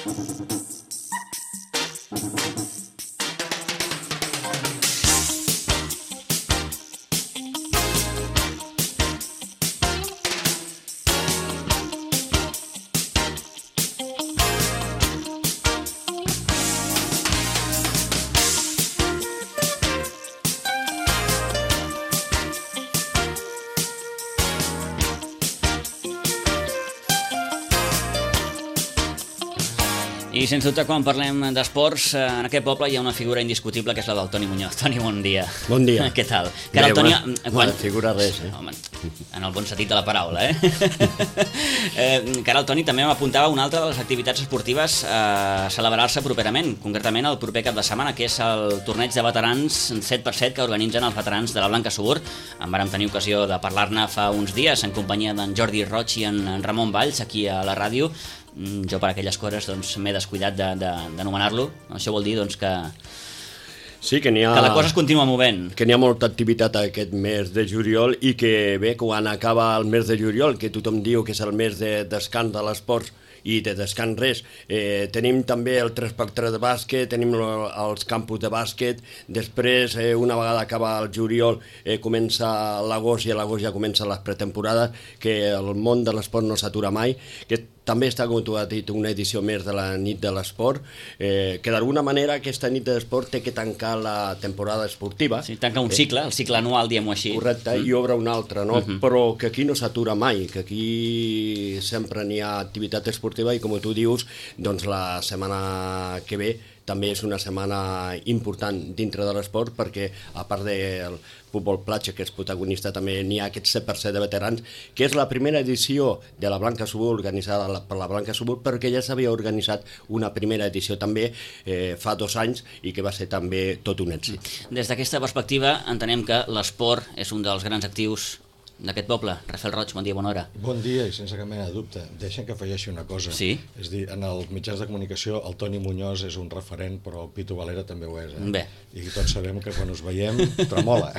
I sens dubte, quan parlem d'esports, en aquest poble hi ha una figura indiscutible que és la del Toni Muñoz. Toni, bon dia. Bon dia. Què tal? Que ara el Toni... Bona figura res, Home, en el bon sentit de la paraula, que ara el Toni també m'apuntava una altra de les activitats esportives a celebrar-se properament, concretament el proper cap de setmana, que és el torneig de veterans 7x7 que organitzen els veterans de la Blanca Subur. En vàrem tenir ocasió de parlar-ne fa uns dies en companyia d'en Jordi Roig i en Ramon Valls aquí a la ràdio. Jo per aquelles coses m'he descuidat d'anomenar-lo. Això vol dir que sí, que la cosa es continua movent. Que n'hi ha molta activitat aquest mes de juliol i que bé, quan acaba el mes de juliol, que tothom diu que és el mes de descans de l'esport i de descans res, tenim també el 3x3 de bàsquet, tenim els campus de bàsquet, després una vegada acaba el juliol comença l'agost i a l'agost ja comencen les pretemporades, que el món de l'esport no s'atura mai, que també està, com tu has dit, una edició més de la nit de l'esport, que d'alguna manera aquesta nit de l'esport té que tancar la temporada esportiva. Sí, tanca un cicle, el cicle anual, diguem-ho així. Correcte, i obre un altre, no? Però que aquí no s'atura mai, que aquí sempre n'hi ha activitat esportiva i, com tu dius, doncs la setmana que ve també és una setmana important dintre de l'esport perquè, a part del futbol platja, que és protagonista, també n'hi ha aquest 7% de veterans, que és la primera edició de la Blanca Subur organitzada per la Blanca Subur, perquè ja s'havia organitzat una primera edició també fa 2 anys i que va ser també tot un èxit. Des d'aquesta perspectiva entenem que l'esport és un dels grans actius d'aquest poble. Rafael Roig, bon dia, bona hora. Bon dia i sense cap mena de dubte. Deixa'm que afegeixi una cosa. Sí? És dir, en els mitjans de comunicació el Toni Muñoz és un referent, però el Pitu Valera també ho és. Bé. I tots sabem que quan us veiem tremola.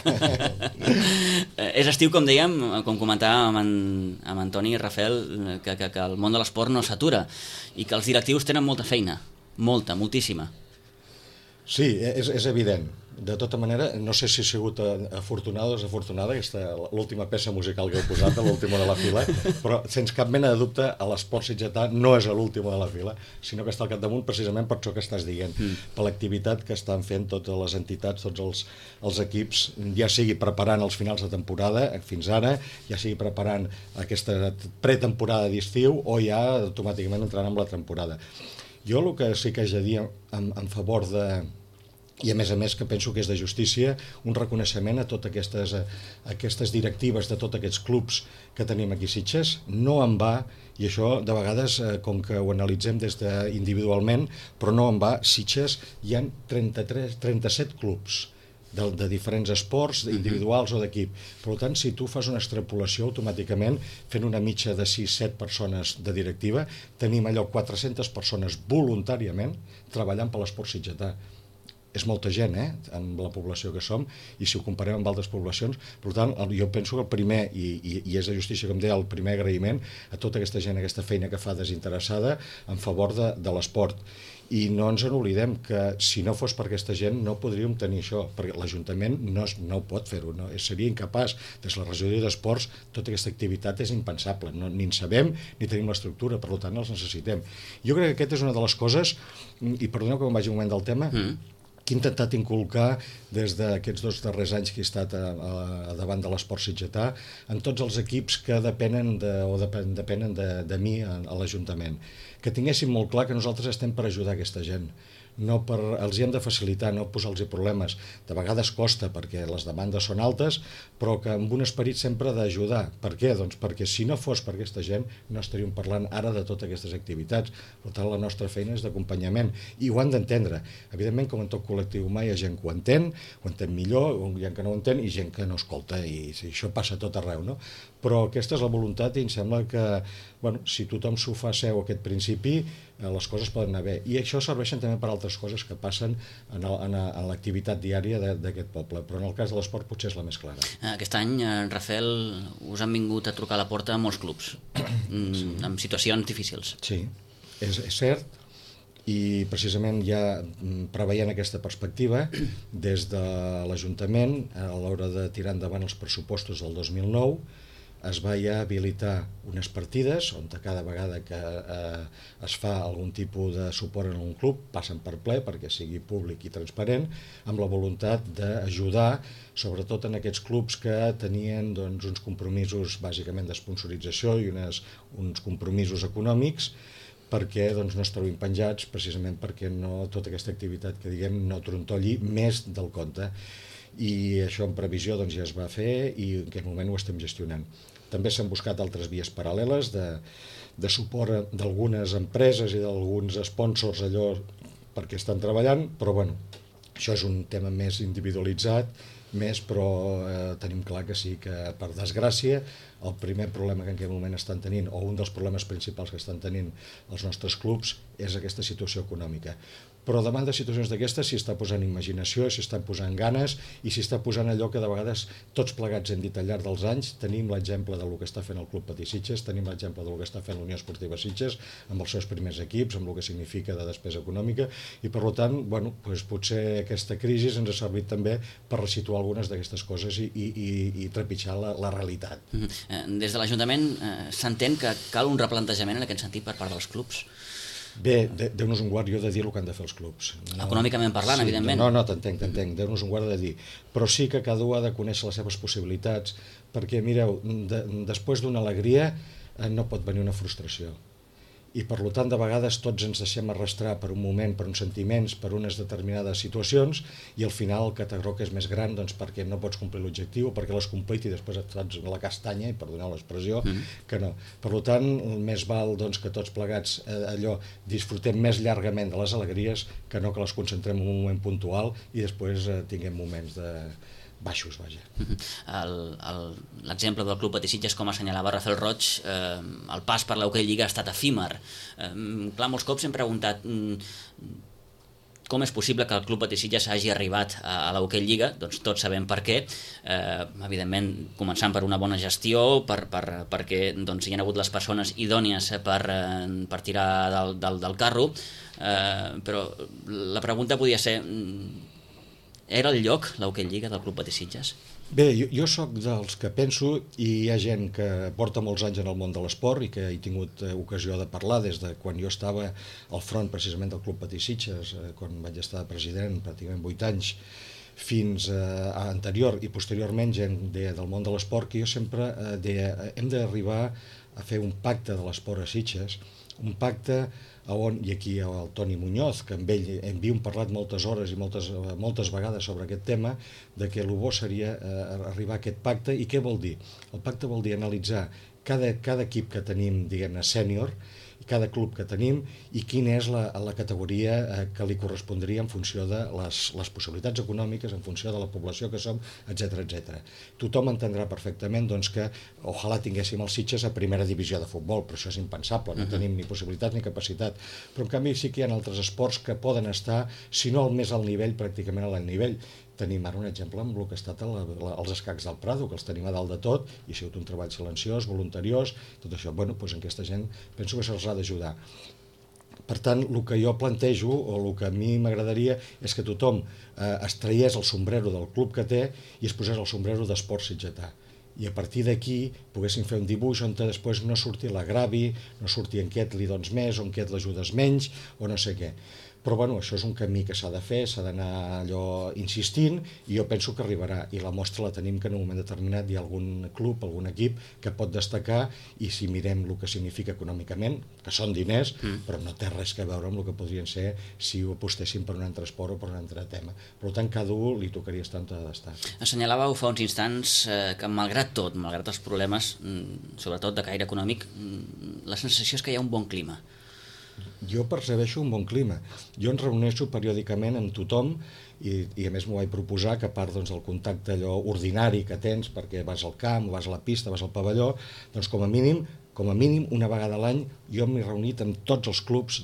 És estiu, com dèiem, com comentàvem amb en Toni i Rafael, que el món de l'esport no s'atura i que els directius tenen molta feina. Molta, moltíssima. Sí, és evident. De tota manera, no sé si ha sigut afortunada o desafortunada l'última peça musical que heu posat, l'última de la fila, però sense cap mena de dubte l'esport sitgetà no és l'última de la fila, sinó que està al capdamunt precisament per això que estàs dient, per l'activitat que estan fent totes les entitats, tots els equips, ja sigui preparant els finals de temporada fins ara, ja sigui preparant aquesta pretemporada d'estiu o ja automàticament entrant en la temporada. Jo el que sí que haig de dir en favor de... i a més que penso que és de justícia, un reconeixement a totes aquestes directives de tots aquests clubs que tenim aquí a Sitges. No en va, i això de vegades, com que ho analitzem individualment, però no en va, Sitges hi ha 37 clubs de diferents esports, individuals o d'equip. Per tant, si tu fas una extrapolació automàticament, fent una mitja de 6-7 persones de directiva, tenim allò 400 persones voluntàriament treballant per l'esport sitgetà. És molta gent, amb la població que som, i si ho comparem amb altres poblacions. Per tant, jo penso que el primer, i és de justícia, com deia, el primer agraïment a tota aquesta gent, aquesta feina que fa desinteressada en favor de l'esport. I no ens n'oblidem que si no fos per aquesta gent no podríem tenir això, perquè l'Ajuntament no pot fer-ho, seria incapaç. Des de la regidoria d'esports tota aquesta activitat és impensable, ni en sabem ni tenim l'estructura, per tant els necessitem. Jo crec que aquesta és una de les coses, i perdoneu que me'n vagi un moment del tema, que he intentat inculcar des d'aquests 2 darrers anys que he estat davant de l'esport sitgetà en tots els equips que depenen de mi a l'Ajuntament. Que tinguéssim molt clar que nosaltres estem per ajudar aquesta gent. Els hi hem de facilitar, no posar-los problemes. De vegades costa perquè les demandes són altes, però que amb un esperit sempre d'ajudar. Per què? Doncs perquè si no fos per aquesta gent no estaríem parlant ara de totes aquestes activitats. Per tant, la nostra feina és d'acompanyament i ho han d'entendre. Evidentment, com en tot col·lectiu humà, hi ha gent que ho entén millor, hi ha gent que no ho entén i gent que no escolta, i això passa a tot arreu, no? Però aquesta és la voluntat i em sembla que si tothom s'ho fa seu aquest principi, les coses poden anar bé. I això serveixen també per altres coses que passen en l'activitat diària d'aquest poble, però en el cas de l'esport potser és la més clara. Aquest any, Rafael, us han vingut a trucar a la porta molts clubs, amb situacions difícils. Sí, és cert, I precisament ja preveient aquesta perspectiva, des de l'Ajuntament, a l'hora de tirar endavant els pressupostos del 2009, es va ja habilitar unes partides on cada vegada que es fa algun tipus de suport en un club passen per ple perquè sigui públic i transparent, amb la voluntat d'ajudar sobretot en aquests clubs que tenien doncs, uns compromisos bàsicament d'esponsorització i uns compromisos econòmics perquè doncs, no es trobin penjats, precisament perquè tota aquesta activitat que diguem no trontolli més del compte. I això en previsió doncs, ja es va fer i en aquest moment ho estem gestionant. També s'han buscat altres vies paral·leles de suport d'algunes empreses i d'alguns sponsors allò perquè estan treballant, però bueno, això és un tema més individualitzat, però tenim clar que sí que per desgràcia el primer problema que en aquest moment estan tenint o un dels problemes principals que estan tenint els nostres clubs és aquesta situació econòmica. Però davant de situacions d'aquestes s'hi està posant imaginació, s'hi estan posant ganes i s'hi està posant allò que de vegades tots plegats hem dit al llarg dels anys. Tenim l'exemple del que està fent el Club Patí Sitges, tenim l'exemple del que està fent l'Unió Esportiva Sitges amb els seus primers equips, amb el que significa de despesa econòmica i per tant potser aquesta crisi ens ha servit també per resituar algunes d'aquestes coses i trepitjar la realitat. Des de l'Ajuntament s'entén que cal un replantejament en aquest sentit per part dels clubs? Bé, Déu-nos un guard, jo he de dir el que han de fer els clubs. Econòmicament parlant, sí, evidentment. No, t'entenc, Déu-nos un guard de dir. Però sí que cada un ha de conèixer les seves possibilitats, perquè, mireu, després d'una alegria no pot venir una frustració. I per tant, de vegades tots ens deixem arrastrar per un moment, per uns sentiments, per unes determinades situacions i al final el catarroc és més gran doncs, perquè no pots complir l'objectiu o perquè l'has complit i després et fots la castanya, i perdoneu l'expressió, que no. Per tant, més val doncs, que tots plegats disfrutem més llargament de les alegries que no que les concentrem en un moment puntual i després tinguem moments de baixos, vaja. L'exemple del Club Patí Sitges, com assenyalava Rafael Roig, el pas per l'Hockey Lliga ha estat efímer. Clar, molts cops hem preguntat com és possible que el Club Patí Sitges hagi arribat a l'Hockey Lliga, doncs tots sabem per què, evidentment començant per una bona gestió, perquè doncs, hi ha hagut les persones idònies per tirar del carro, però la pregunta podia ser: era el lloc, l'Hockey Lliga, del Club Patí Sitges? Bé, jo sóc dels que penso, i hi ha gent que porta molts anys en el món de l'esport i que he tingut ocasió de parlar des de quan jo estava al front precisament del Club Patí Sitges, quan vaig estar president pràcticament 8 anys, fins a anterior i posteriorment gent del món de l'esport, que jo sempre deia hem d'arribar a fer un pacte de l'esport a Sitges, un pacte on, i aquí el Toni Muñoz, que amb ell hem parlat moltes hores i moltes vegades sobre aquest tema, de que el bo seria arribar a aquest pacte. I què vol dir? El pacte vol dir analitzar cada equip que tenim, diguem-ne, sènior, cada club que tenim i quina és la categoria que li correspondria en funció de les possibilitats econòmiques, en funció de la població que som, etc. Tothom entendrà perfectament doncs, que ojalà tinguéssim els Sitges a primera divisió de futbol, però això és impensable, no tenim ni possibilitat ni capacitat. Però en canvi sí que hi ha altres esports que poden estar, si no al més alt nivell, pràcticament a l'alt nivell. Tenim ara un exemple amb el que ha estat els escacs del Prado, que els tenim a dalt de tot, i ha sigut un treball silenciós, voluntariós, tot això. Bueno, doncs aquesta gent penso que se'ls ha d'ajudar. Per tant, el que jo plantejo, o el que a mi m'agradaria, és que tothom es traiés el sombrero del club que té i es posés el sombrero d'esport sitgetà. I a partir d'aquí poguéssim fer un dibuix on després no surti l'agravi, no surti en què et li dones més, o en què et l'ajudes menys, o no sé què. Però bueno, això és un camí que s'ha de fer, s'ha d'anar allò insistint, i jo penso que arribarà. I la mostra la tenim que en un moment determinat hi ha algun club, algun equip que pot destacar, i si mirem el que significa econòmicament, que són diners, però no té res a veure amb el que podrien ser si ho apostéssim per un altre esport o per un altre tema. Per tant, cada un li tocaria estar on ha d'estar. Assenyalàveu fa uns instants que malgrat tot, malgrat els problemes, sobretot de caire econòmic, la sensació és que hi ha un bon clima. Jo percebeixo un bon clima. Jo em reuneixo periòdicament amb tothom i a més m'ho vaig proposar que a part doncs, del contacte allò ordinari que tens perquè vas al camp, vas a la pista, vas al pavelló, doncs com a mínim una vegada a l'any jo m'he reunit amb tots els clubs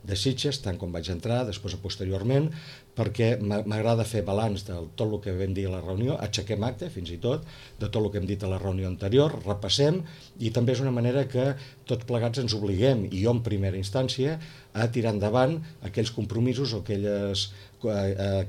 de Sitges, tant com vaig entrar, després posteriorment, perquè m'agrada fer balanç de tot el que vam dir a la reunió, aixequem acte, fins i tot, de tot el que hem dit a la reunió anterior, repassem, i també és una manera que tots plegats ens obliguem, i jo en primera instància, a tirar endavant aquells compromisos o aquelles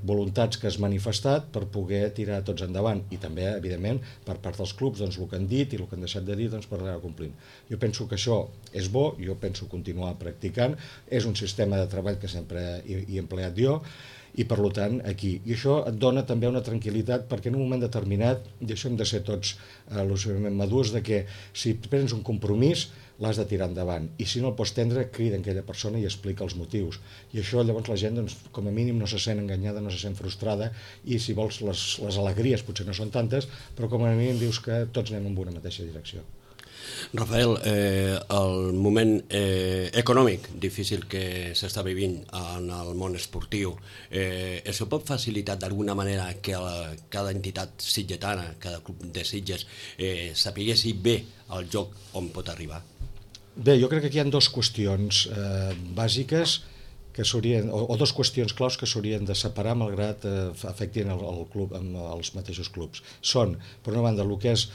voluntats que has manifestat per poder tirar tots endavant, i també, evidentment, per part dels clubs, doncs, el que han dit i el que han deixat de dir, doncs, per anar complint. Jo penso que això és bo, jo penso continuar practicant, és un sistema de treball que sempre he empleat jo, i per tant aquí. I això et dona també una tranquil·litat, perquè en un moment determinat, i això hem de ser tots madurs, de que si prens un compromís l'has de tirar endavant, i si no el pots prendre, crida aquella persona i explica els motius, i això llavors la gent, doncs, com a mínim no se sent enganyada, no se sent frustrada, i si vols les alegries potser no són tantes, però com a mínim dius que tots anem en una mateixa direcció. Rafael, el moment econòmic difícil que s'està vivint en el món esportiu, això pot facilitar d'alguna manera que cada entitat sitgetana, cada club de Sitges, sapiguessi bé el joc on pot arribar? Bé, jo crec que aquí hi ha dues qüestions bàsiques que s'haurien, o dues qüestions claus que s'haurien de separar malgrat afectin el club, amb els mateixos clubs. Són, per una banda, el que és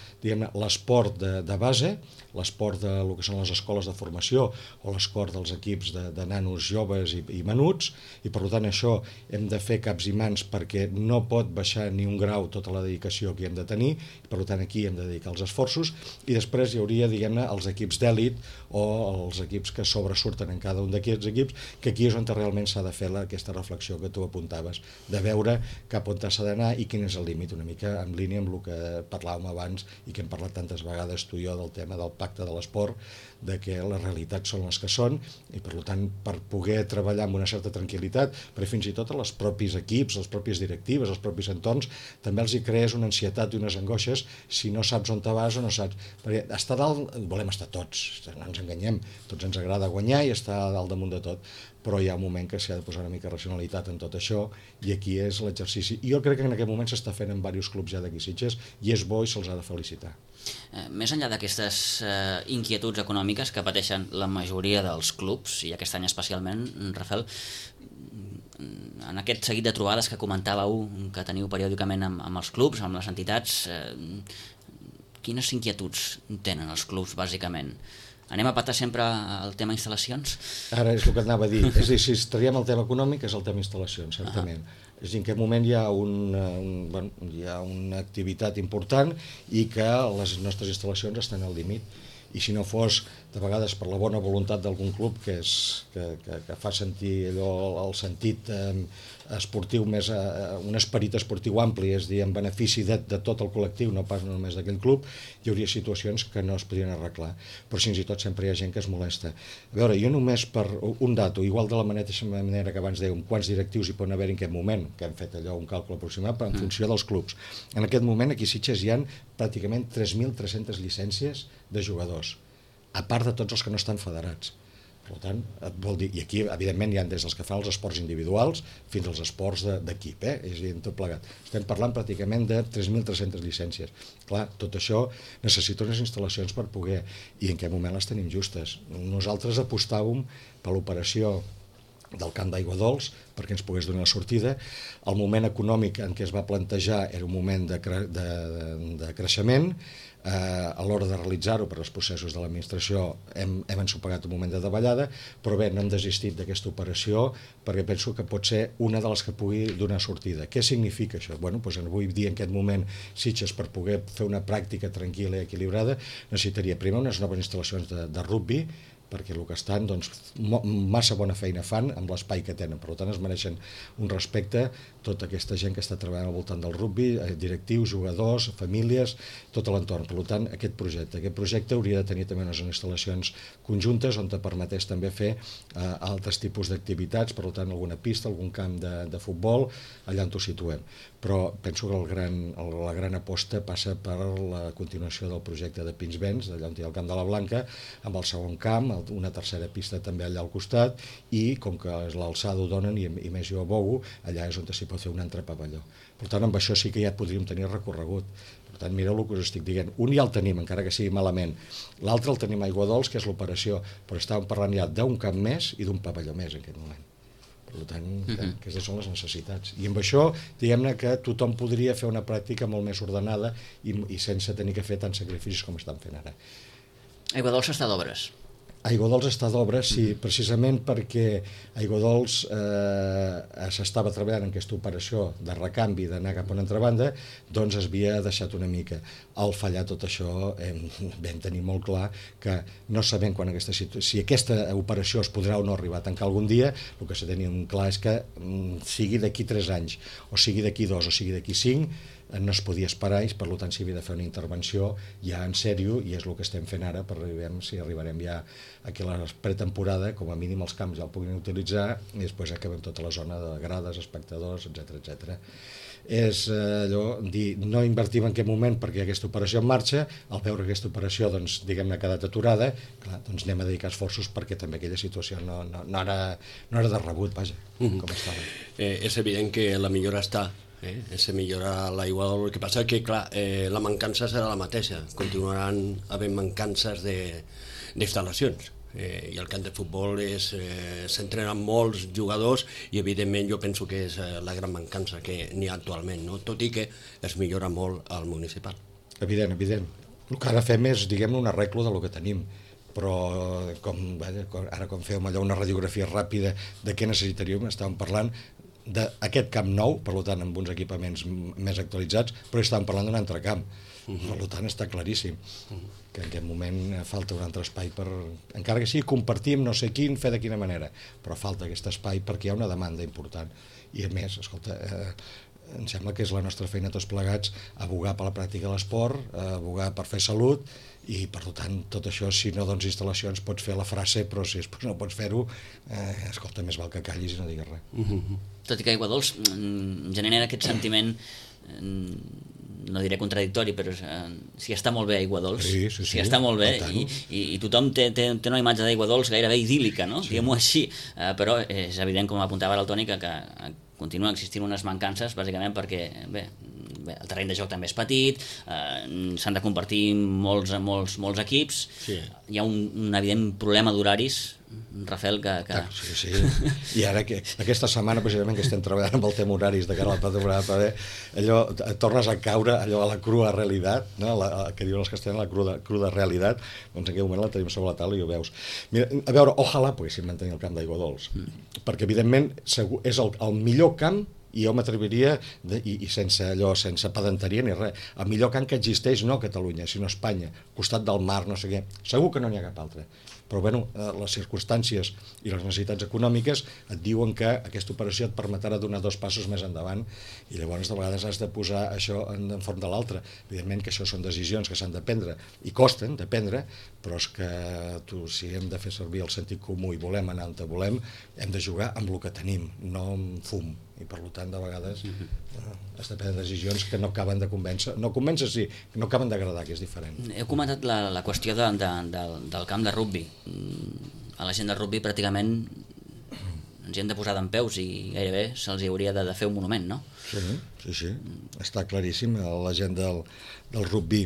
l'esport de base, l'esport del que són les escoles de formació o l'esport dels equips de nanos joves i menuts, i per tant això hem de fer caps i mans perquè no pot baixar ni un grau tota la dedicació que hi hem de tenir, i per tant aquí hem de dedicar els esforços, i després hi hauria, diguem-ne, els equips d'èlit o els equips que sobresurten en cada un d'aquests equips, que aquí és on realment s'ha de fer aquesta reflexió que tu apuntaves, de veure cap on s'ha d'anar i quin és el límit, una mica en línia amb el que parlàvem abans i que hem parlat tantes vegades tu i jo del tema del pacte de l'esport, de que les realitats són les que són, i per tant per poder treballar amb una certa tranquil·litat, però fins i tot els propis equips, les pròpies directives, els propis entorns, també els hi crees una ansietat i unes angoixes si no saps on te vas o no saps, perquè estar dalt volem estar tots, no ens enganyem, tots ens agrada guanyar i estar dalt damunt de tot, però hi ha un moment que s'ha de posar una mica de racionalitat en tot això, i aquí és l'exercici. I jo crec que en aquest moment s'està fent en diversos clubs ja d'aquí Sitges, i és bo i se'ls ha de felicitar. Més enllà d'aquestes inquietuds econòmiques que pateixen la majoria dels clubs, i aquest any especialment, Rafael, en aquest seguit de trobades que comentàveu que teniu periòdicament amb els clubs, amb les entitats, quines inquietuds tenen els clubs, bàsicament? Anem a patar sempre el tema instal·lacions? Ara és el que anava a dir. És a dir, si traiem el tema econòmic és el tema instal·lacions, certament. És a dir, en aquest moment hi ha una activitat important i que les nostres instal·lacions estan al límit. I si no fos, de vegades, per la bona voluntat d'algun club que fa sentir allò, el sentit esportiu més, un esperit esportiu ampli, és a dir, en benefici de tot el col·lectiu, no pas només d'aquell club, hi hauria situacions que no es podrien arreglar. Però fins i tot sempre hi ha gent que es molesta. A veure, jo només per un dato, igual de la mateixa manera que abans dèiem, quants directius hi poden haver en aquest moment, que hem fet allò, un càlcul aproximat, però en funció dels clubs. En aquest moment, aquí a Sitges hi ha pràcticament 3.300 llicències de jugadors, a part de tots els que no estan federats. Per tant, vol dir, i aquí evidentment hi ha des dels que fan els esports individuals fins als esports d'equip, és a dir, en tot plegat. Estem parlant pràcticament de 3.300 llicències. Clar, tot això necessita unes instal·lacions per poder, i en aquest moment les tenim justes. Nosaltres apostàvem per l'operació del camp d'Aigua Dols perquè ens pogués donar la sortida. El moment econòmic en què es va plantejar era un moment de creixement. A l'hora de realitzar-ho per als processos de l'administració hem ensopegat un moment de davallada, però bé, no hem desistit d'aquesta operació perquè penso que pot ser una de les que pugui donar sortida. Què significa això? Bueno, doncs avui dia en aquest moment Sitges, per poder fer una pràctica tranquil·la i equilibrada, necessitaria primer unes noves instal·lacions de rugbi, perquè el que estan, doncs, massa bona feina fan amb l'espai que tenen. Per tant, es mereixen un respecte tota aquesta gent que està treballant al voltant del rugbi, directius, jugadors, famílies, tot l'entorn. Per tant, aquest projecte hauria de tenir també unes instal·lacions conjuntes on te permetés també fer altres tipus d'activitats, per tant, alguna pista, algun camp de futbol, allà on ho situem. Però penso que la gran aposta passa per la continuació del projecte de Pinsbens, allà on hi ha el Camp de la Blanca, amb el segon camp, una tercera pista també allà al costat, i com que l'alçada ho donen i més jo abogo, allà és on s'hi pot fer un altre pavelló. Per tant, amb això sí que ja podríem tenir recorregut. Per Per tant, mireu el que us estic dient. Un ja el tenim, encara que sigui malament. L'altre el tenim a Aiguadols, que és l'operació, però estàvem parlant ja d'un camp més i d'un pavelló més en aquest moment. Per tant, aquestes són les necessitats. I amb això, diguem-ne que tothom podria fer una pràctica molt més ordenada i sense tenir que fer tants sacrificis com estan fent ara. Aiguadols està d'obres. Aiguadols està d'obres, sí, precisament perquè Aiguadols s'estava treballant en aquesta operació de recanvi, d'anar cap a una altra banda, doncs es havia deixat una mica. Al fallar tot això vam tenir molt clar que no sabem quan si aquesta operació es podrà o no arribar a tancar algun dia, el que se tenia clar és que sigui d'aquí 3 anys, o sigui d'aquí 2, o sigui d'aquí 5, no es podia esperar i per tant s'hi havia de fer una intervenció ja en sèrio i és el que estem fent ara si arribarem ja aquí a la pretemporada, com a mínim els camps ja el puguin utilitzar i després acabem tota la zona de grades, espectadors, etc. És allò, dir, no invertim en aquest moment perquè hi ha aquesta operació en marxa, al veure aquesta operació doncs, diguem-ne ha quedat aturada, clar, doncs anem a dedicar esforços perquè també aquella situació no era de rebut, vaja, com estava. És evident que la millora està, se millora l'aigua, el que passa que clar, la mancança serà la mateixa, continuaran havent mancances d'instal·lacions i el camp de futbol s'entrenen molts jugadors i evidentment jo penso que és la gran mancança que n'hi ha actualment, no? Tot i que es millora molt al municipal. Evident. El que ara fem és, diguem-ne, un arreglo del que tenim, però ara quan fèiem allò una radiografia ràpida de què necessitaríem, estàvem parlant d'aquest camp nou, per tant amb uns equipaments més actualitzats, però estàvem parlant d'un altre camp, per tant està claríssim que en aquest moment falta un altre espai per, encara que sigui compartim no sé quin, fer de quina manera, però falta aquest espai perquè hi ha una demanda important i a més, escolta, em sembla que és la nostra feina tots plegats abogar per la pràctica de l'esport, abogar per fer salut i per tant tot això, si no dones instal·lacions pots fer la frase, però si després no pots fer-ho, escolta, més val que callis i no diguis res. Tot i que Aiguadols genera aquest sentiment, no diré contradictori, però si està molt bé Aiguadols, si està molt bé i tothom té una imatge d'Aiguadols gairebé idíl·lica, no? Diguem-ho així, però és evident, com apuntava ara el Toni, que continuen existint unes mancances, bàsicament perquè el terreny de joc també és petit, s'han de compartir molts equips, hi ha un evident problema d'horaris, Rafael, que... Sí. I ara aquesta setmana precisament que estem treballant amb el tema horaris de cara a la pretemporada, allò tornes a caure allò a la crua realitat, no? Que diuen els castellans, la cruda realitat, doncs en aquell moment la tenim sobre la taula i ho veus. Mira, a veure, ojalà poguéssim mantenir el camp d'Aiguadols, perquè evidentment és el millor camp i jo m'atreviria, i sense pedanteria ni res, el millor camp que existeix no a Catalunya, sinó a Espanya, al costat del mar, no sé què, segur que no n'hi ha cap altre. Però bueno, les circumstàncies i les necessitats econòmiques et diuen que aquesta operació et permetrà donar 2 passos més endavant i llavors de vegades has de posar això en forma de l'altre. Evidentment que això són decisions que s'han de prendre i costen de prendre, però és que si hem de fer servir el sentit comú i volem anar on volem, hem de jugar amb el que tenim, no amb fum. I per tant de vegades has de prendre decisions que no acaben de convèncer, no acaben d'agradar, que és diferent. Heu comentat la qüestió del camp de rugbi. A la gent de rugbi pràcticament ens hi hem de posar dempeus i gairebé se'ls hauria de fer un monument, no? Sí, està claríssim. La gent del rugbi,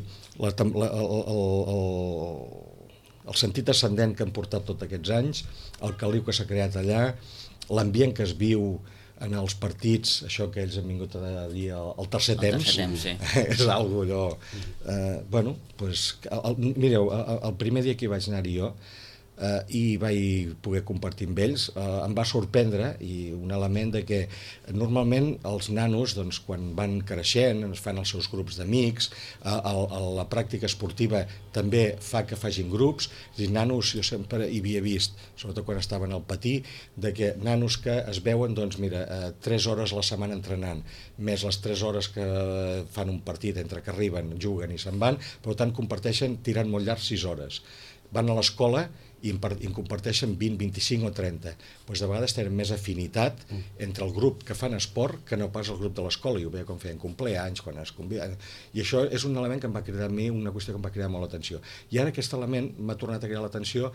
el sentit ascendent que han portat tots aquests anys, el caliu que s'ha creat allà, l'ambient que es viu en els partits, això que ells han vingut a dir el tercer temps, és algo allò... Mireu, el primer dia que hi vaig anar-hi jo, i vaig poder compartir amb ells, em va sorprendre i un element de que normalment els nanos, doncs, quan van creixent, es fan els seus grups d'amics, la pràctica esportiva també fa que facin grups, i nanos, jo sempre hi havia vist, sobretot quan estaven al patí, de que nanos que es veuen, doncs mira, 3 hores a la setmana entrenant, més les 3 hores que fan un partit entre que arriben, juguen i se'n van, per tant comparteixen tirant molt llarg 6 hores. Van a l'escola i en comparteixen 20, 25 o 30. Doncs de vegades tenen més afinitat entre el grup que fan esport que no pas el grup de l'escola. I ho veia quan feien compleanys, quan es conviden. I això és un element que em va cridar a mi, una qüestió que em va cridar molt l'atenció. I ara aquest element m'ha tornat a cridar l'atenció,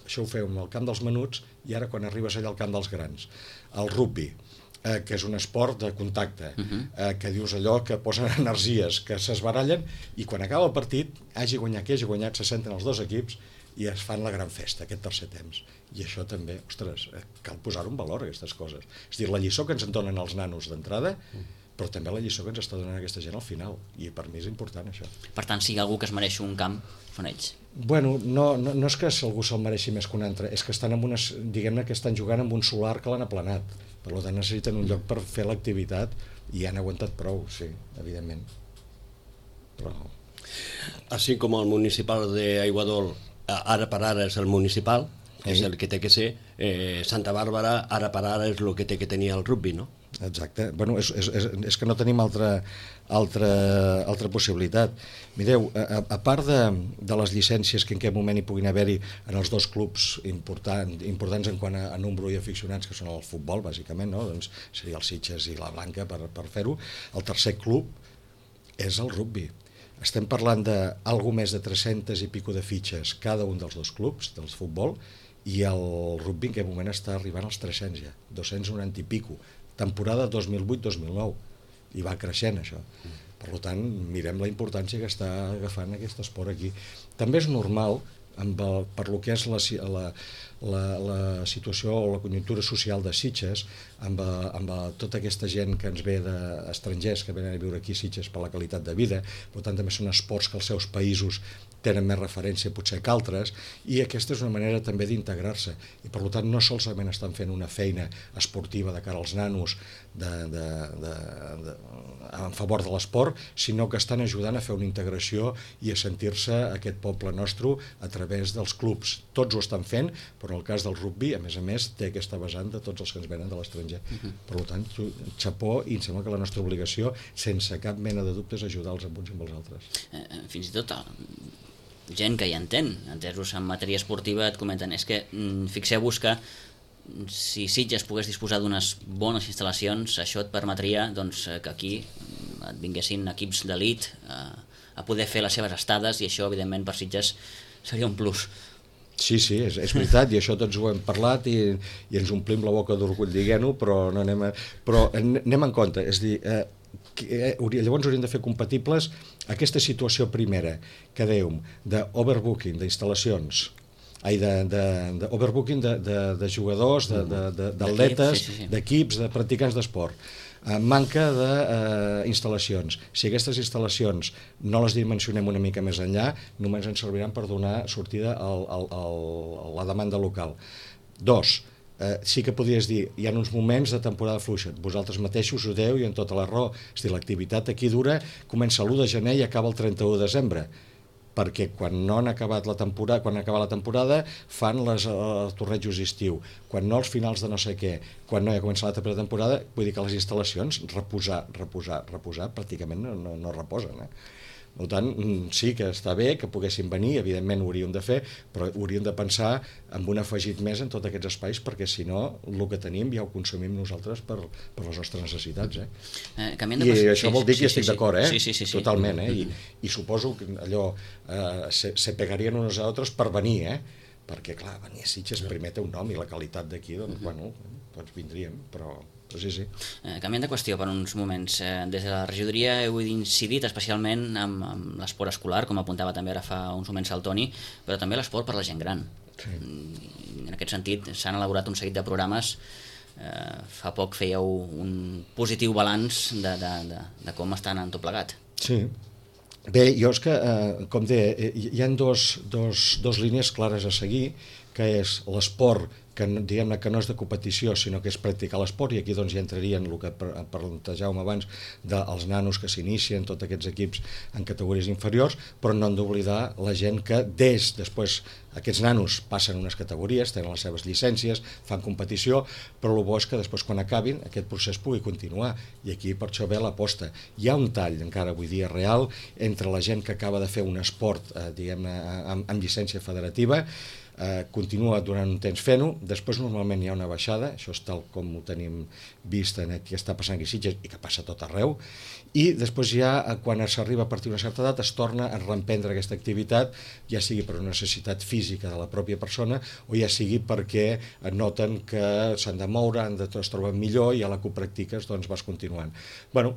això ho feu amb el camp dels menuts i ara quan arribes allà al camp dels grans. El rugbi. que és un esport de contacte, que dius allò que posen energies, que s'esbarallen, i quan acaba el partit, hagi guanyat qui hagi guanyat, se senten els dos equips i es fan la gran festa, aquest tercer temps. I això també, ostres, cal posar-ho en valor, aquestes coses. És a dir, la lliçó que ens en donen els nanos d'entrada, però també la lliçó que ens està donant aquesta gent al final, i per mi és important això. Per tant, si hi ha algú que es mereix un camp, són ells. Bueno, no és que algú se'l mereixi més que un altre, és que estan en unes, diguem-ne que estan jugant amb un solar que l'han aplanat. Per tant, necessiten un lloc per fer l'activitat i han aguantat prou, sí, evidentment. Però... Així com el municipal d'Aiguadol, ara per ara és el municipal, és el que té que ser, Santa Bàrbara, ara per ara és el que té que tenir el rugby, no? Exacte. Bueno, és que no tenim altra possibilitat. Mireu, a part de les llicències que en aquest moment hi puguin haver-hi en els dos clubs importants en quant a nombre i aficionats, que són el futbol, bàsicament, no? Doncs seria el Sitges i la Blanca per fer-ho. El tercer club és el rugby. Estem parlant d'algú més de 300 i pico de fitxes cada un dels dos clubs del futbol, i el rugby en aquest moment està arribant als 300 ja, 290 i pico, temporada 2008-2009, i va creixent això. Per tant, mirem la importància que està agafant aquest esport aquí. També és normal, per lo que és la situació o la conjuntura social de Sitges, amb tota aquesta gent que ens ve d'estrangers que venen a viure aquí a Sitges per la qualitat de vida, per tant també són esports que els seus països tenen més referència potser que altres, i aquesta és una manera també d'integrar-se, i per tant no solament estan fent una feina esportiva de cara als nanos en favor de l'esport, sinó que estan ajudant a fer una integració i a sentir-se aquest poble nostre a través dels clubs. Tots ho estan fent, però en el cas del rugby, a més, té aquesta vessant de tots els que ens venen de l'estranger. Per tant, xapó, i em sembla que la nostra obligació, sense cap mena de dubte, és ajudar els uns amb els altres. Fins i tot gent que hi entén, entesos en matèria esportiva, et comenten, és que fixeu-vos que si Sitges pogués disposar d'unes bones instal·lacions, això et permetria que aquí et vinguessin equips d'elit a poder fer les seves estades, i això evidentment per Sitges seria un plus. Sí, és veritat, i això tots ho hem parlat i ens omplim la boca d'orgull dient-ho, però anem en compte, és a dir, llavors hauríem de fer compatibles aquesta situació primera que dèiem d'overbooking d'instal·lacions, d'overbooking de jugadors, d'atletes, d'equips, de practicants d'esport, manca d'instal·lacions. Si aquestes instal·lacions no les dimensionem una mica més enllà, només ens serviran per donar sortida a la demanda local. Dos, sí que podries dir, hi ha uns moments de temporada fluixa, vosaltres mateixos ho deu i en tota la raó, és dir, l'activitat aquí dura, comença l'1 de gener i acaba el 31 de desembre, perquè quan no han acabat la temporada, quan acaba la temporada fan els tornejos d'estiu, quan no els finals de no sé què, quan no hi ha començat la temporada, vull dir que les instal·lacions reposar, pràcticament no reposen, Per tant, sí que està bé que poguessin venir, evidentment ho hauríem de fer, però hauríem de pensar en un afegit més en tots aquests espais, perquè si no, el que tenim ja ho consumim nosaltres per les nostres necessitats. I això vol dir que estic d'acord, totalment, i suposo que allò se pegarien uns a altres per venir, perquè clar, venir a Sitges primer té un nom i la qualitat d'aquí, doncs vindríem, però... Sí. Canviant de qüestió per uns moments, des de la regidoria heu incidit especialment amb l'esport escolar, com apuntava també ara fa uns moments el Toni, però també l'esport per la gent gran. En aquest sentit s'han elaborat un seguit de programes. Fa poc fèieu un positiu balanç de com estan en tot plegat. Sí. Bé, jo és que, com deia, hi ha dos línies clares a seguir, que és l'esport que diguem-ne que no és de competició, sinó que és practicar l'esport, i aquí doncs ja entrarien el que plantejàvem abans dels nanos que s'inicien, tots aquests equips en categories inferiors, però no hem d'oblidar la gent que després aquests nanos passen unes categories, tenen les seves llicències, fan competició, però el bo és que després quan acabin aquest procés pugui continuar, i aquí per això ve l'aposta. Hi ha un tall encara avui dia real entre la gent que acaba de fer un esport diguem-ne amb llicència federativa, continua durant un temps fent-ho, després normalment hi ha una baixada, això és tal com ho tenim vist en què està passant aquí a Sitges i que passa a tot arreu, i després ja, quan s'arriba a partir d'una certa edat, es torna a reemprendre aquesta activitat, ja sigui per una necessitat física de la pròpia persona o ja sigui perquè noten que s'han de moure, es troben millor i a la que ho practiques doncs vas continuant. Bueno,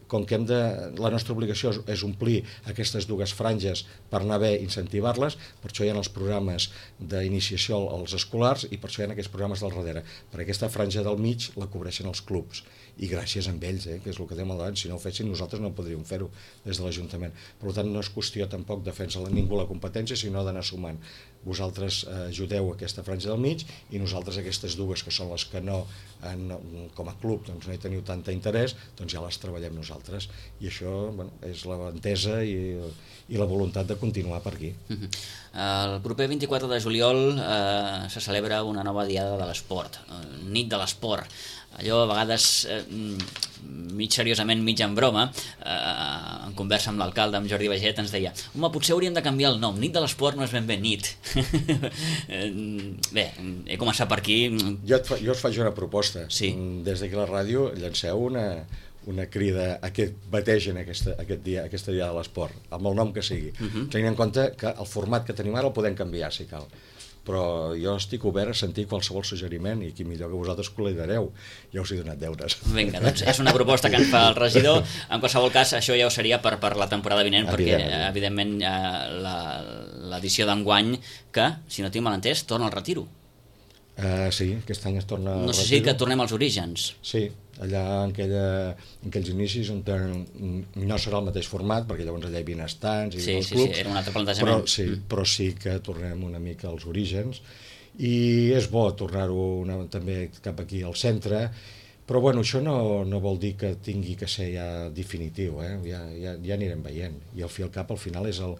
com que la nostra obligació és omplir aquestes dues franges per anar bé incentivar-les, per això hi ha els programes d'iniciació als escolars i per això hi ha aquests programes del darrere. Per aquesta franja del mig la cobreixen els clubs i gràcies a ells, que és el que dèiem al davant, si no ho fessin nosaltres no podríem fer-ho des de l'Ajuntament. Per tant, no és qüestió tampoc de fer-se ningú la competència, sinó d'anar sumant. Vosaltres ajudeu aquesta franja del mig i nosaltres aquestes dues, que són les que no, com a club, doncs no hi teniu tanta interès, doncs ja les treballem nosaltres. I això és l'entesa i la voluntat de continuar per aquí. El proper 24 de juliol se celebra una nova diada de l'esport, nit de l'esport. Allò a vegades, mig seriosament, mig en broma, en conversa amb l'alcalde, amb Jordi Baget, ens deia: home, potser hauríem de canviar el nom, nit de l'esport no és ben bé nit. Bé, he començat per aquí. Jo us faig una proposta. Sí. Des d'aquí a la ràdio llanceu una crida a que bategen aquesta dia de l'esport, amb el nom que sigui, tenint en compte que el format que tenim ara el podem canviar, si cal. Però jo estic obert a sentir qualsevol suggeriment i qui millor que vosaltres que ho lidereu. Ja us he donat deures. Vinga, doncs és una proposta que ens fa el regidor. En qualsevol cas, això ja ho seria per la temporada vinent, perquè evidentment l'edició d'enguany, que, si no tinc mal entès, torna al retiro. Sí, aquest any es torna al retiro. No sé si que tornem als orígens. Sí, allà en aquells inicis on no serà el mateix format, perquè llavors allà hi havia estants i els clubs. Sí, era un altre plantejament. Però sí que tornem una mica als orígens i és bo tornar-ho també cap aquí al centre, però bueno, això no vol dir que tingui que ser ja definitiu, ja anirem veient, i al fi al cap al final és el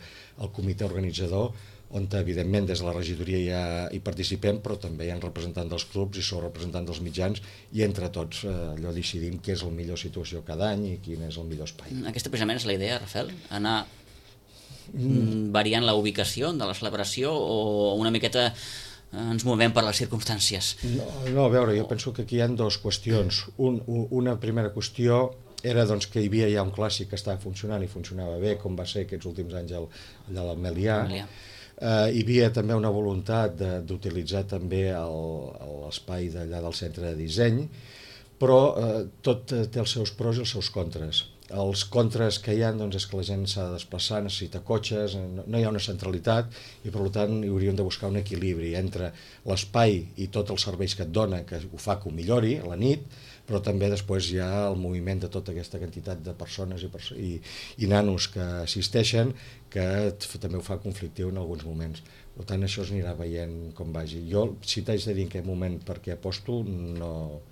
comitè organitzador on evidentment des de la regidoria ja hi participem, però també hi ha representants dels clubs i són representants dels mitjans i entre tots allò decidim què és la millor situació cada any i quin és el millor espai. Aquesta precisament és la idea, Rafael? Anar variant la ubicació de la celebració o una miqueta ens movem per les circumstàncies? No, a veure, jo penso que aquí hi ha dues qüestions. Una primera qüestió era doncs, que hi havia ja un clàssic que estava funcionant i funcionava bé, com va ser aquests últims anys allà a l'Ametllà. Hi havia també una voluntat d'utilitzar també l'espai d'allà del centre de disseny, però tot té els seus pros i els seus contres. Els contres que hi ha doncs, és que la gent s'ha de desplaçar, necessita cotxes, no hi ha una centralitat i per tant hi hauríem de buscar un equilibri entre l'espai i tots els serveis que et dona, que ho fa que ho millori a la nit, però també després hi ha el moviment de tota aquesta quantitat de persones i nanos que assisteixen, que també ho fa conflictiu en alguns moments. Per tant, això es anirà veient com vagi. Jo, si t'haig de dir en quin moment per què aposto, no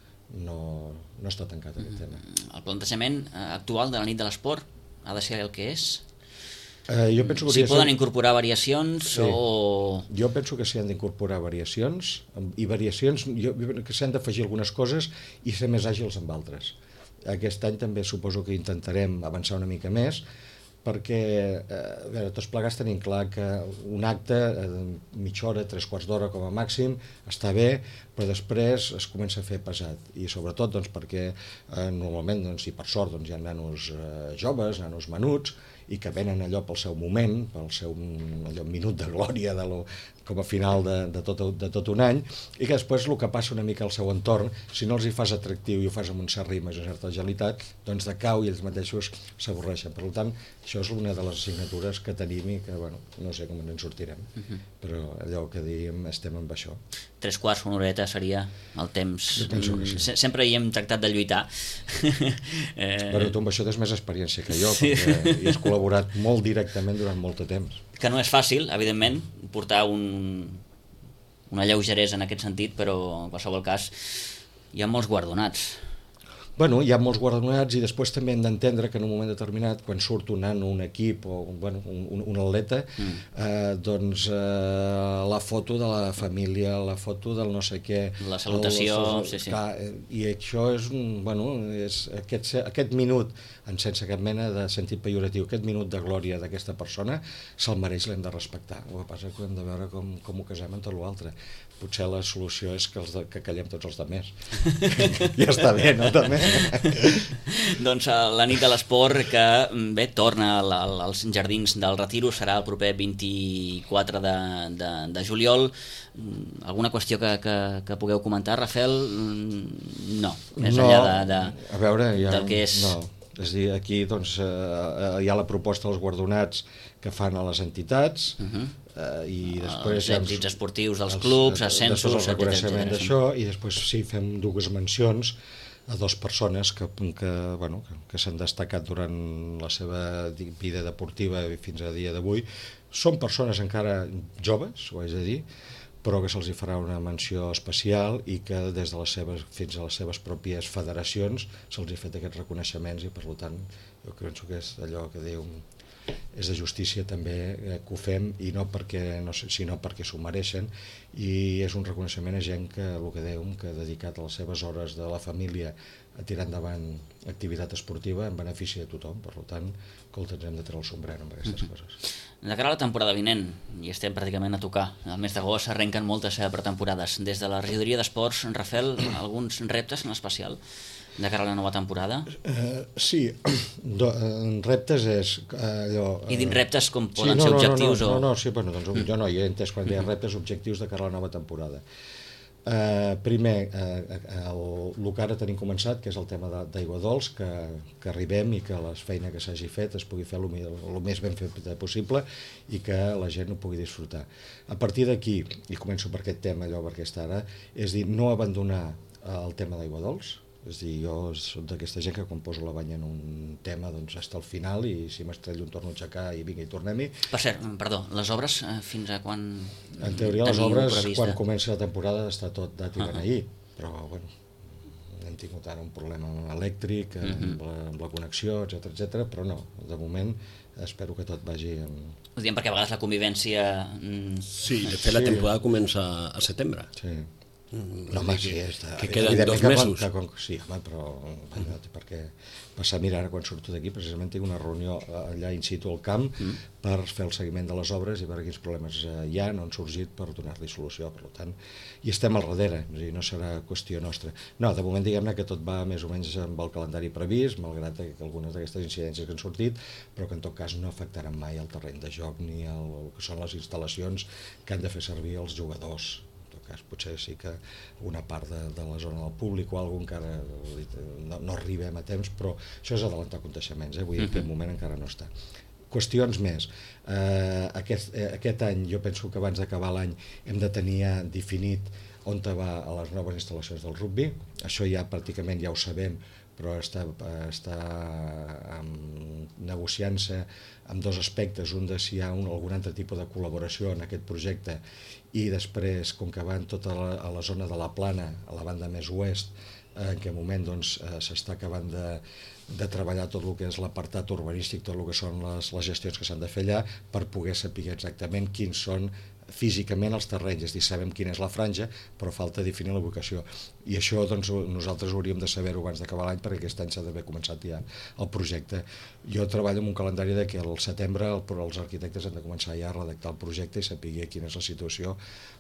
està tancat aquest tema. El plantejament actual de la nit de l'esport ha de ser el que és? Jo penso que s'hi poden incorporar variacions o... Jo penso que s'hi han d'incorporar variacions i variacions que s'han d'afegir algunes coses i ser més àgils amb altres. Aquest any també suposo que intentarem avançar una mica més perquè tots plegats tenim clar que un acte mitja hora, 3/4 d'hora com a màxim està bé, però després es comença a fer pesat i sobretot doncs, perquè normalment doncs, i per sort doncs, hi ha nanos joves, nanos menuts i que venen allò pel seu moment, pel seu minut de glòria com a final de tot un any i que després el que passa una mica al seu entorn, si no els hi fas atractiu i ho fas amb un cert ritme i una certa agilitat, doncs decau i ells mateixos s'avorreixen. Per tant, això és una de les assignatures que tenim i que no sé com ens en sortirem, però allò que diem estem amb això. 3/4, una horeta seria el temps. Sempre hi hem tractat de lluitar. Però tu amb això tens més experiència que jo, perquè hi has col·laborat molt directament durant molt de temps. Que no és fàcil, evidentment, portar una lleugeresa en aquest sentit, però en qualsevol cas hi ha molts guardonats. Bueno, hi ha molts guardonats i després també hem d'entendre que en un moment determinat, quan surt un nano, un equip o un atleta, doncs la foto de la família, la foto del no sé què... La salutació, sí. Clar, i això és, aquest minut, sense cap mena de sentit pejoratiu, aquest minut de glòria d'aquesta persona se'l mereix, l'hem de respectar. El que passa és que hem de veure com ho casem amb tot l'altre. Potser la solució és que callem tots els altres. Ja està bé, no? També. Doncs la nit de l'esport que bé, torna als Jardins del Retiro, serà el proper 24 de juliol. Alguna qüestió que pugueu comentar, Rafael? No, més enllà del que és... No. És a dir, aquí doncs, hi ha la proposta dels guardonats que fan a les entitats, i després els èxits esportius dels clubs, ascensos, el reconeixement d'això, i després sí, fem dues mencions a dues persones que s'han destacat durant la seva vida deportiva fins a dia d'avui. Són persones encara joves, ho haig de dir, però que se'ls farà una menció especial i que des de fins a les seves pròpies federacions se'ls ha fet aquests reconeixements, i per tant jo penso que és allò que diu, és de justícia també que ho fem, i no sinó perquè s'ho mereixen, i és un reconeixement a gent que, el que dèiem, que ha dedicat a les seves hores de la família a tirar endavant activitat esportiva en benefici de tothom. Per tant, escolta, ens hem de treure el sombrero amb aquestes coses. De cara a la temporada vinent, i estem pràcticament a tocar, el mes d'agost arrenquen moltes pretemporades. Des de la regidoria d'esports, Rafael, alguns reptes en especial de cara a la nova temporada? Sí, reptes és allò... I dins reptes com poden ser objectius? Sí, bueno, doncs jo no hi he entès quan deia reptes, objectius de cara a la nova temporada. Primer, el que ara tenim començat, que és el tema d'aigua dolç, que arribem i que la feina que s'hagi fet es pugui fer el més ben fet possible i que la gent ho pugui disfrutar. A partir d'aquí, i començo per aquest tema, per aquesta ara, és dir, no abandonar el tema d'aigua dolç. És dir, jo soc d'aquesta gent que quan poso la banya en un tema doncs està al final, i si m'estrello torno a aixecar i vinga i tornem-hi. Per cert, perdó, les obres fins a quan en teoria les obres prevista? Quan comença la temporada està tot dat i beneir, però bueno, hem tingut ara un problema elèctric amb la connexió, etc, però no, de moment espero que tot vagi Ho diem perquè a vegades la convivència... Sí, de fet la temporada comença a setembre. Sí. No, home, sí, que queden 2 mesos. Sí, home, però perquè passar a mirar quan surto d'aquí, precisament tinc una reunió allà in situ al camp per fer el seguiment de les obres i veure quins problemes hi ha, no han sorgit, per donar-li solució. Per tant, i estem al darrere, és a dir, no serà qüestió nostra. No, de moment diguem-ne que tot va més o menys amb el calendari previst, malgrat que algunes d'aquestes incidències que han sortit, però que en tot cas no afectaran mai el terreny de joc ni el que són les instal·lacions que han de fer servir els jugadors. Potser sí que una part de la zona del públic o alguna encara no arribem a temps, però això és adelantar aconteixements, vull dir que en moment encara no està. Qüestions més. Aquest any, jo penso que abans d'acabar l'any hem de tenir ja definit on va a les noves instal·lacions del rugby. Això ja pràcticament ja ho sabem, però està negociant-se amb dos aspectes, un de si hi ha algun altre tipus de col·laboració en aquest projecte, i després, com que van tota a la zona de la Plana, a la banda més oest, en què moment s'està acabant de treballar tot el que és l'apartat urbanístic, tot el que són les gestions que s'han de fer allà, per poder saber exactament quins són físicament els terrenys, és a dir, sabem quina és la franja, però falta definir la ubicació. I això doncs, nosaltres hauríem de saber-ho abans d'acabar l'any, perquè aquest any s'ha d'haver començat ja el projecte. Jo treballo amb un calendari de que al setembre els arquitectes han de començar ja a redactar el projecte i saber quina és la situació,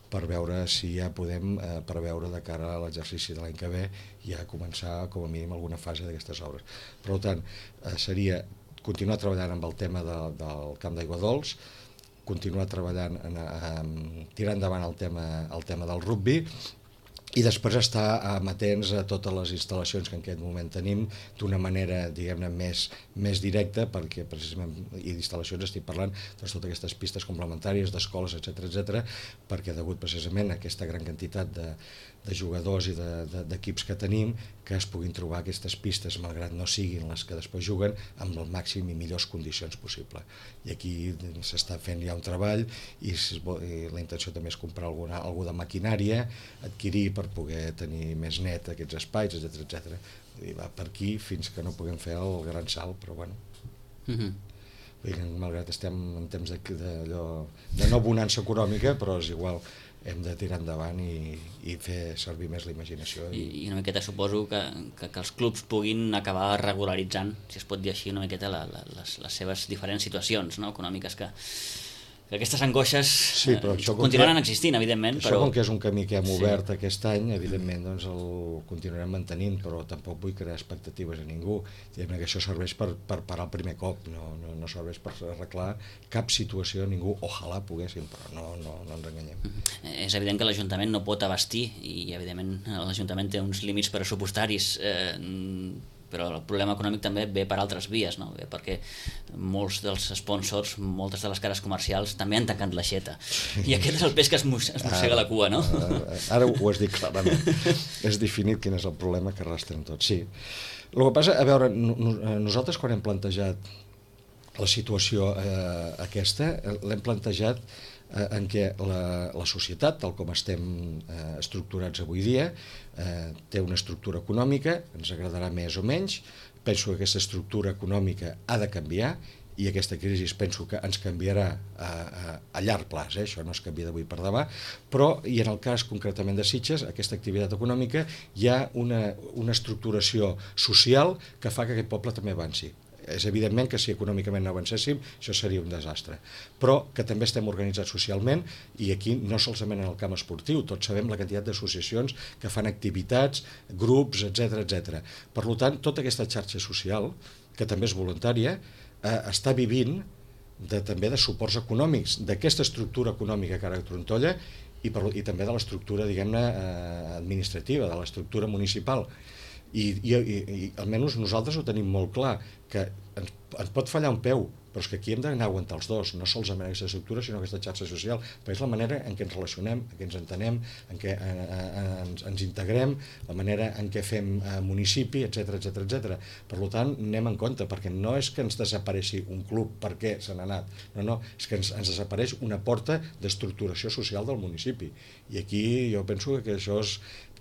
per veure si ja podem preveure de cara a l'exercici de l'any que ve ja començar com a mínim alguna fase d'aquestes obres. Per tant, seria continuar treballant amb el tema del camp d'aigua dolç, continuar treballant, tirar endavant el tema del rugby, i després estar amatents a totes les instal·lacions que en aquest moment tenim d'una manera, diguem-ne, més directa, perquè precisament, i d'instal·lacions estic parlant, doncs totes aquestes pistes complementàries d'escoles, etc, perquè degut precisament a aquesta gran quantitat de jugadors i d'equips que tenim, que es puguin trobar aquestes pistes, malgrat no siguin les que després juguen, amb el màxim i millors condicions possible. I aquí s'està fent ja un treball, i la intenció també és comprar alguna de maquinària, adquirir per poder tenir més net aquests espais, etc, I va per aquí fins que no puguem fer el gran salt, però bueno. Vull dir, malgrat estem en temps de no bonança econòmica, però és igual, hem de tirar endavant i fer servir més la imaginació. I una miqueta suposo que els clubs puguin acabar regularitzant, si es pot dir així, una miqueta les seves diferents situacions, no?, econòmiques, que aquestes angoixes continuaran existint, evidentment. Això, com que és un camí que hem obert aquest any, evidentment doncs el continuarem mantenint, però tampoc vull crear expectatives a ningú. Diguem que això serveix per parar el primer cop, no serveix per arreglar cap situació a ningú. Ojalà poguéssim, però no ens enganyem. És evident que l'Ajuntament no pot abastir, i evidentment l'Ajuntament té uns límits pressupostaris, però el problema econòmic també ve per altres vies, no? Ve perquè molts dels sponsors, moltes de les cares comercials també han tancat l'aixeta, i aquest és el peix que es mossega la cua, no? Ara ho has dit clarament, és definit quin és el problema que arrastren tots, sí. El que passa, a veure, nosaltres quan hem plantejat la situació aquesta, l'hem plantejat en què la societat, tal com estem estructurats avui dia, té una estructura econòmica, ens agradarà més o menys, penso que aquesta estructura econòmica ha de canviar, i aquesta crisi penso que ens canviarà a llarg plaç, això no es canvia d'avui per demà, però, i en el cas concretament de Sitges, aquesta activitat econòmica, hi ha una estructuració social que fa que aquest poble també avanci. És evidentment que si econòmicament no avancéssim això seria un desastre, però que també estem organitzats socialment, i aquí no solament en el camp esportiu, tots sabem la quantitat d'associacions que fan activitats, grups, etc. Per tant, tota aquesta xarxa social, que també és voluntària, està vivint també de suports econòmics, d'aquesta estructura econòmica que ara trontolla, i també de l'estructura, diguem-ne, administrativa, de l'estructura municipal. I almenys nosaltres ho tenim molt clar, que ens pot fallar un peu, però és que aquí hem d'anar a aguantar els dos, no solament aquesta estructura sinó aquesta xarxa social, perquè és la manera en què ens relacionem, en què ens entenem, en què ens integrem, la manera en què fem municipi, etc. Per tant, anem en compte, perquè no és que ens desapareixi un club perquè se n'ha anat, no, és que ens desapareix una porta d'estructuració social del municipi, i aquí jo penso que això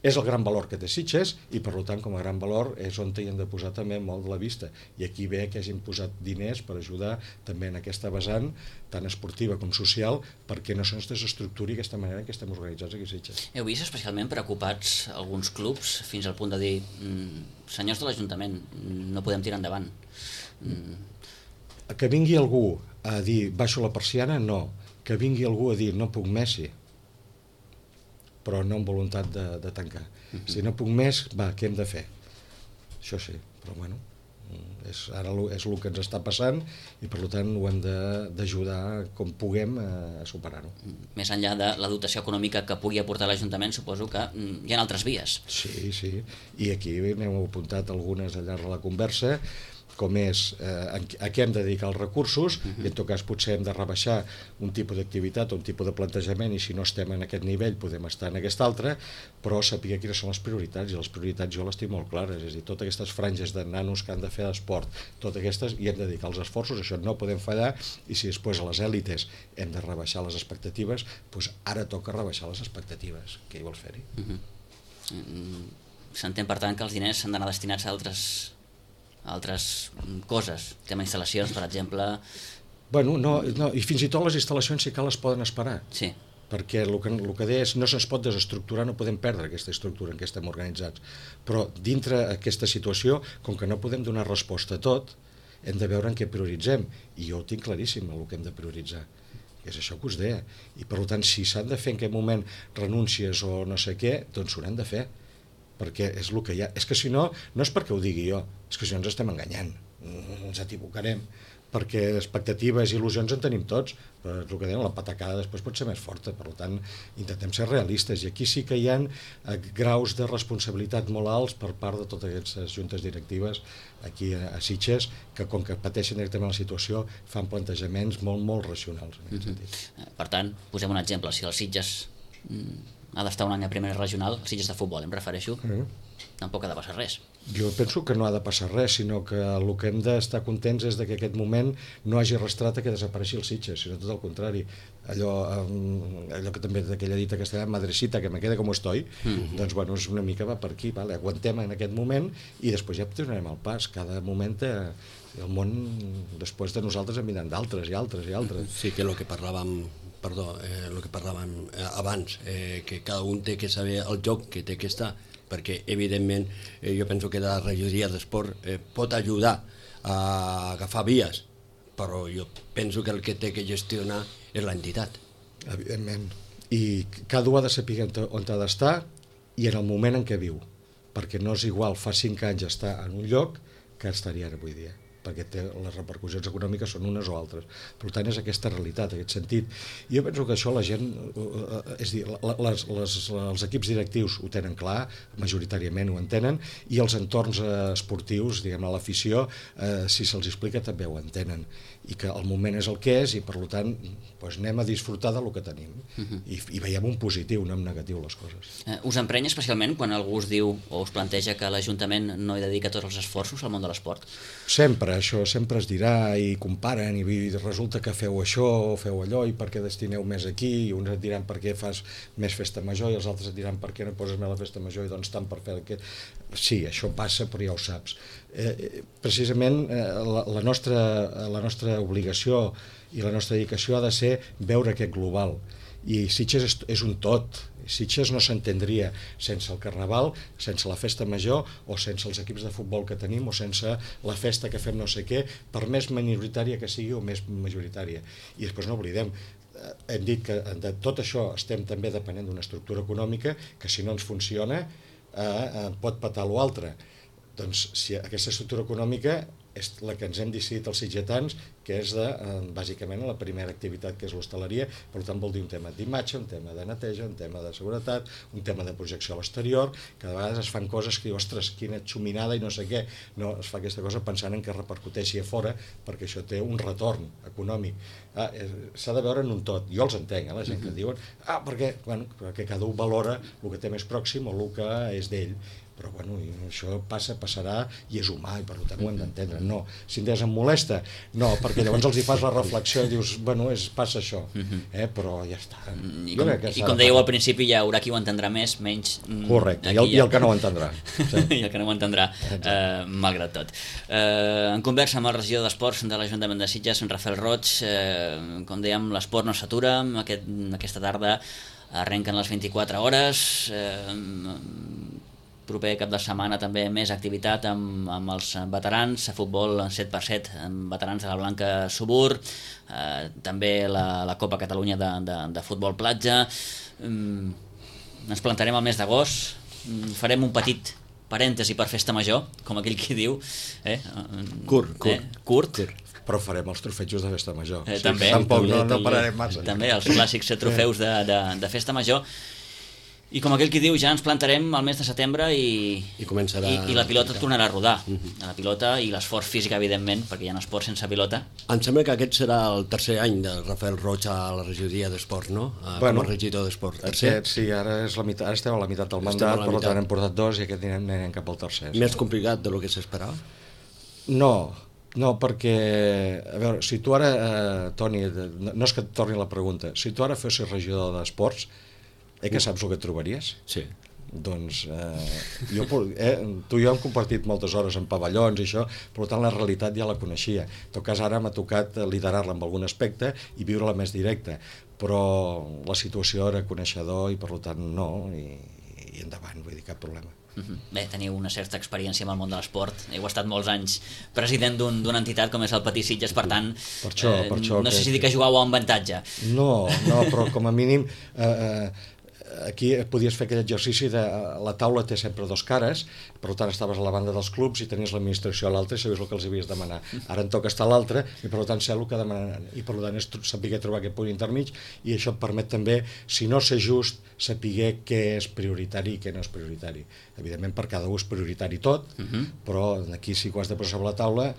és el gran valor que té Sitges, i per tant com a gran valor és on hi hem de posar també molt de la vista, i aquí ve que hagin posat diners per ajudar també en aquesta vessant tant esportiva com social, perquè no se'ns desestructuri aquesta manera en què estem organitzats aquí a Sitges. Heu vist especialment preocupats alguns clubs fins al punt de dir senyors de l'Ajuntament, no podem tirar endavant? Que vingui algú a dir baixo la persiana, no. Que vingui algú a dir no puc més, sí, però no amb voluntat de tancar. Si no puc més, va, què hem de fer? Això sí, però bueno, ara és el que ens està passant, i per tant ho hem d'ajudar com puguem a superar-ho. Més enllà de la dotació econòmica que pugui aportar l'Ajuntament, suposo que hi ha altres vies. Sí, i aquí n'hem apuntat algunes al llarg de la conversa, com és a què hem de dedicar els recursos, i en tot cas potser hem de rebaixar un tipus d'activitat o un tipus de plantejament, i si no estem en aquest nivell podem estar en aquest altre, però saber quines són les prioritats, i les prioritats jo les tinc molt clares, és a dir, totes aquestes franges de nanos que han de fer d'esport, totes aquestes hi hem de dedicar els esforços, això no podem fallar, i si després a les èlites hem de rebaixar les expectatives, doncs ara toca rebaixar les expectatives. Què hi vols fer-hi? S'entén per tant que els diners s'han d'anar destinats a altres coses, tema instal·lacions, per exemple. Bueno, no, i fins i tot les instal·lacions, si cal, les poden esperar. Sí. Perquè el que deia és no se'ns pot desestructurar, no podem perdre aquesta estructura en què estem organitzats. Però dintre aquesta situació, com que no podem donar resposta a tot, hem de veure en què prioritzem. I jo ho tinc claríssim, el que hem de prioritzar. És això que us deia. I per tant, si s'han de fer en aquest moment renúncies o no sé què, doncs s'ho hem de fer. Perquè és el que hi ha. És que si no, no és perquè ho digui jo, és que si no ens estem enganyant, ens equivocarem, perquè expectatives i il·lusions en tenim tots, però el que deien, la patacada després pot ser més forta, per tant intentem ser realistes, i aquí sí que hi ha graus de responsabilitat molt alts per part de totes aquestes juntes directives aquí a Sitges, que com que pateixen directament la situació fan plantejaments molt, molt racionals en aquest sentit. Per tant, posem un exemple, si el Sitges ha d'estar un any a primera regional, el Sitges de futbol, em refereixo, tampoc ha de passar res. Jo penso que no ha de passar res, sinó que el que hem d'estar contents és que aquest moment no hagi arrastrat a que desapareixi el Sitges, sinó tot el contrari. Allò que també d'aquella dita castellana, madrecita, que me quede com estoy, doncs bueno, és una mica va per aquí, vale? Aguantem en aquest moment i després ja tornarem al pas. Cada moment el món després de nosaltres en vindran d'altres i altres i altres. Sí, que el que parlàvem abans, que cada un té que saber el joc que té que estar, perquè evidentment jo penso que la regidoria d'esport pot ajudar a agafar vies, però jo penso que el que té que gestionar és l'entitat. Evidentment. I cada un ha de saber on ha d'estar i en el moment en què viu, perquè no és igual fa 5 anys estar en un lloc que estaria ara avui dia, perquè les repercussions econòmiques són unes o altres. Per tant, és aquesta realitat, aquest sentit. I jo penso que això la gent, és a dir, els equips directius ho tenen clar, majoritàriament ho entenen, i els entorns esportius, diguem-ne, l'afició, si se'ls explica també ho entenen, i que el moment és el que és, i per tant doncs anem a disfrutar del que tenim, i veiem un positiu, no en negatiu les coses. Us emprenya especialment quan algú us diu o us planteja que l'Ajuntament no hi dedica tots els esforços al món de l'esport? Sempre, això sempre es dirà, i comparen, i resulta que feu això o feu allò, i per què destineu més aquí, i uns et diran per què fas més festa major, i els altres et diran per què no poses més la festa major, i doncs tant per fer aquest... Sí, això passa, però ja ho saps. Precisament la nostra obligació i la nostra dedicació ha de ser veure aquest global, i Sitges és un tot. Sitges no s'entendria sense el Carnaval, sense la festa major, o sense els equips de futbol que tenim, o sense la festa que fem no sé què, per més minoritària que sigui o més majoritària. I després no oblidem, hem dit que de tot això estem també depenent d'una estructura econòmica que si no ens funciona pot patar l'altre. Doncs si aquesta estructura econòmica és la que ens hem decidit els sitgetans, que és bàsicament la primera activitat, que és l'hostaleria. Per tant vol dir un tema d'imatge, un tema de neteja, un tema de seguretat, un tema de projecció a l'exterior, que de vegades es fan coses que diu, ostres, quina xuminada i no sé què. No, es fa aquesta cosa pensant en que repercuteixi a fora, perquè això té un retorn econòmic. S'ha de veure en un tot. Jo els entenc, la gent que diuen perquè cada un valora el que té més pròxim o el que és d'ell. Però bueno, això passarà i és humà, i per tant ho hem d'entendre. No, si em molesta, no, perquè llavors els hi fas la reflexió i dius, bueno, passa això, però ja està. I com dèieu al principi, hi haurà qui ho entendrà més, menys... Correcte, i el que no ho entendrà. I el que no ho entendrà, malgrat tot. En conversa amb el regidor d'Esports de l'Ajuntament de Sitges, Rafael Roig, com dèiem, l'esport no s'atura, aquesta tarda arrenquen les 24 hores, proper cap de setmana també més activitat amb els veterans, a futbol 7x7 amb veterans de la Blanca Subur, també la Copa Catalunya de futbol platja. Ens plantarem al mes d'agost, farem un petit parèntesi per festa major, com aquell qui diu. Curt. Però farem els trofejos de festa major. També. Tampoc no pararem massa. També els clàssics trofeus de festa major. I com aquell qui diu, ja ens plantarem al mes de setembre i la pilota tornarà a rodar. La pilota i l'esforç físic, evidentment, perquè hi ha esport sense pilota. Em sembla que aquest serà el tercer any de Rafael Roig a la regidoria d'Esports, no? Com a regidor d'Esports. Sí, ara estem a la meitat del mandat, per tant hem portat 2 i aquest anirem cap al tercer. Més complicat del que s'esperava? No, perquè, a veure, si tu ara, Toni, no és que et torni la pregunta, si tu ara fossis regidor d'Esports, que saps el que et trobaries? Sí. Doncs tu i jo hem compartit moltes hores en pavellons i això, per tant la realitat ja la coneixia. En tot cas ara m'ha tocat liderar-la en algun aspecte i viure-la més directa, però la situació era coneixedor i per tant no, i endavant, vull dir, cap problema. Bé, teniu una certa experiència amb el món de l'esport, heu estat molts anys president d'una entitat com és el Patí Sitges, per tant no sé si dic que jugàveu amb avantatge. No, però com a mínim aquí podies fer aquell exercici de la taula té sempre 2 cares, per tant estaves a la banda dels clubs i tenies l'administració a l'altra i sabies el que els havies de demanar. Ara en toca estar a l'altra i per tant sé el que demanen, i per tant és saber trobar aquest punt intermig, i això et permet també, si no ser just, saber què és prioritari i què no és prioritari. Evidentment per cada un és prioritari tot, però aquí sí que ho has de posar sobre la taula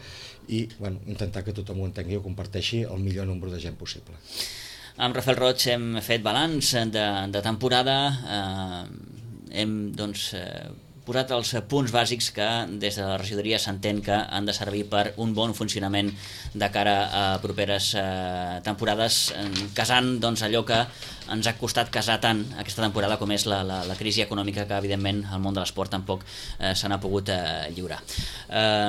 i intentar que tothom ho entengui i ho comparteixi el millor nombre de gent possible. Amb Rafael Roig hem fet balanç de temporada, hem posat els punts bàsics que des de la regidoria s'entén que han de servir per un bon funcionament de cara a properes temporades, casant allò que ens ha costat casar tant aquesta temporada com és la crisi econòmica que evidentment el món de l'esport tampoc se n'ha pogut lliurar.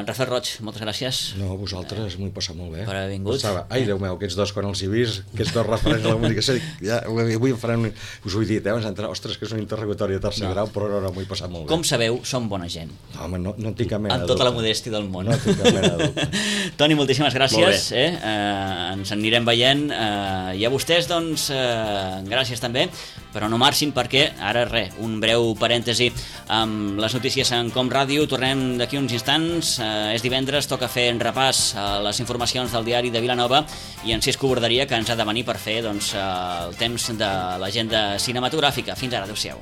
Rafael Roig, moltes gràcies. No, a vosaltres, m'ho he passat molt bé. Per haver vingut. Pensava, ai, Déu meu, aquests dos quan els he vist, aquests dos referents de la comunicació, ja, avui em faran us ho he dit, ostres, que és un interrogatori de tercer grau, però no, m'ho he passat molt bé. Com sabeu, som bona gent. No, home, no en tinc cap mena de dubte. Amb tota la modèstia del món. No tinc cap mena de dubte. Toni, moltíssimes gràcies. Ens anirem veient. I a vostès, doncs, gràcies també, però no marxin perquè ara un breu parèntesi amb les notícies en Com Ràdio. Tornem d'aquí uns instants. És divendres, toca fer un repàs a les informacions del diari de Vilanova i en Cisco Borderia, que ens ha de venir per fer el temps de l'agenda cinematogràfica. Fins ara, adéu-siau.